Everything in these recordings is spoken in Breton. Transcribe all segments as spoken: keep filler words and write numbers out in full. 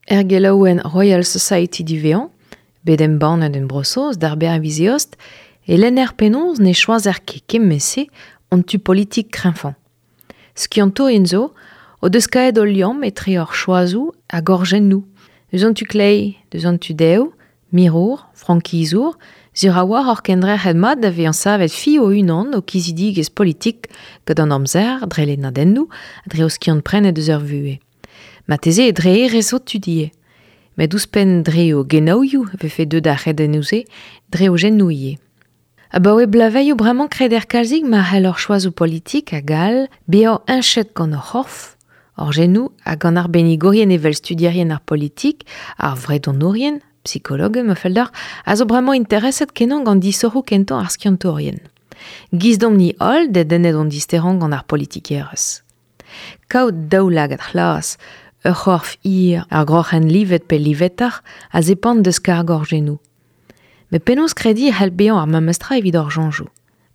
Er gelaouen Royal Society du Vean, bet embannet en Bro-Saoz d'ar ber vizeost, e lenner penaos ne choazer ket kement-se an tu politik kreñvañ. Skiantourien zo o deus kaet o liamm etre hor choazoù hag hor genoù. Deus an tu kleiz, deus an tu dev, mirour, frankizour, sur a oar hor kendrec'het mat da vezañ savet fi o-unan o kizidigezh politik gant an amzer, dre lennadennoù, dre o skiant prenet deus ur vuhez. Marteze e dre erez o tudie. Met ouzhpenn dre o genaouioù vefe deuet ar c'hredennoù-se, dre o genoù ivez. Abaoe blaveioù bremañ kreder kalzik ma c'hell hor choazoù politik hag all bezañ heñchet gant hor c'horf, hor genoù hag gant arbennigourien evel studierien ar politik, ar vredonourien, psikologe ma fell deoc'h, a zo bremañ intereset kenañ gant disoc'hoù kentañ ar skiantourien. Giz domp-ni holl dedennet hon disterañ gant ar politikerezh. Kaout daoulagad c'hlas, ur c'horf hir, ar groc'hen livet pe livetoc'h a zepant deus karg hor genoù. Met penaos krediñ e c'hell bezañ ar memestra evit hor soñjoù.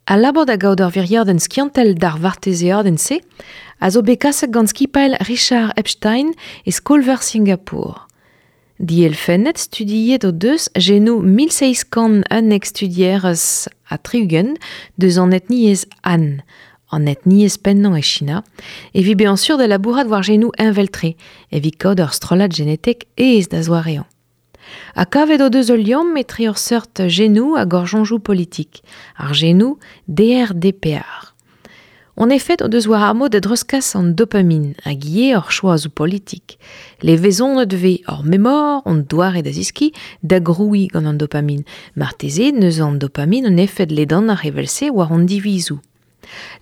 Al labour da gaout ur viriadenn skiantel d'ar vartezeadenn-se a zo bet kaset gant skipailh Richard Epstein e skol-veur Singapour. Dielfennet studiet o deus genoù mil seizh kant unnek studierez ha tri-ugent deus an etniezh Han, an etniezh pennañ e China, evit bezañ sur da labourat war genoù heñvel-tre, evit kaout ur strollad genetek aes da zoareañ. Ha kavet o deus ul liamm etre ur seurt genoù hag hor soñjoù politik, ar genoù D R D P R. En efed o deus war ar mod da dreuzkas an dopamin hag ivez hor choazoù politik. Levezonet vez hor memor, hon doare da zeskiñ, da grouiñ gant an dopamin. Marteze neus an dopamin un efed ledanoc'h evel-se war hon divizoù.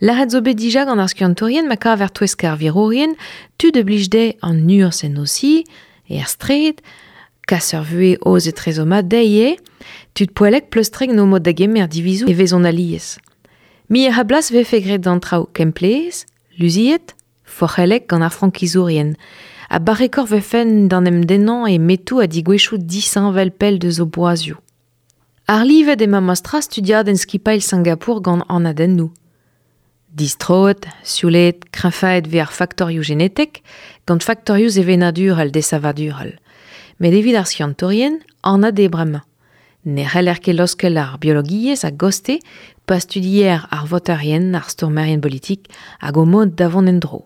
Lâret zo bet dija gant ar skiantourien ma kaver touesk ar virourien, tud a blij dezhe an urzh en o si, er straed, kas ur vuhez oz etrezo mat dezhe eo, tud poellek pleustrek no mod da gemer divizoù e vezont alies. Mi a blas vefe graet d'an traoù kemplez, luziet, forc'hellek gant ar frankizourien. Ha barrekor vefen d'an em dennañ e metoù ha digwezhioù disheñvel pell deus o boazioù. Ar livet emañ mastra studiadenn skipailh Singapour gant anadennoù. Distroet, sioulet, kreñfaet vez ar faktorioù genetek gant faktorioù sevenadurel desavadurel. Met evit ar skiantourien, anat eo bremañ. Ne c'heller ket laoskel ar biologiezh a goste pa studier ar voterien, ar stourmerien politik hag o mod da vont en-dro.